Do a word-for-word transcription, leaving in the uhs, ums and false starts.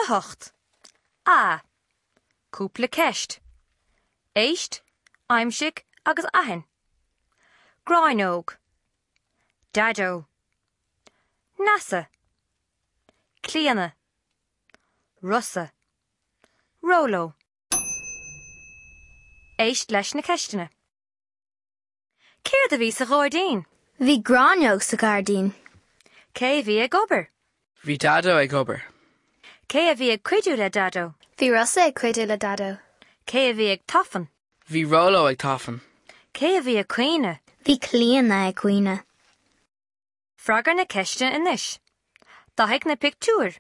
A hocht. A. Cúpla ceist. Éist, aimsigh agus aithin. Gráinneog. Daideo. NASA. Clíona. Rosa. Róló. Éist leis na ceisteanna. Céard a bhí sa ghairdín? Bhí gráinneog sa ghairdín. Cé a bhí ag obair? Bhí Daideo ag obair. Cé a bhí ag cuidiú le Daideo? Bhí Rosa ag cuidiú le Daideo. Cé a bhí ag tafann? Bhí Róló ag tafann. Cé a bhí ag caoineadh? Bhí Clíona ag caoineadh. Freagair na ceisteanna anois. Dathaigh na pictiúir.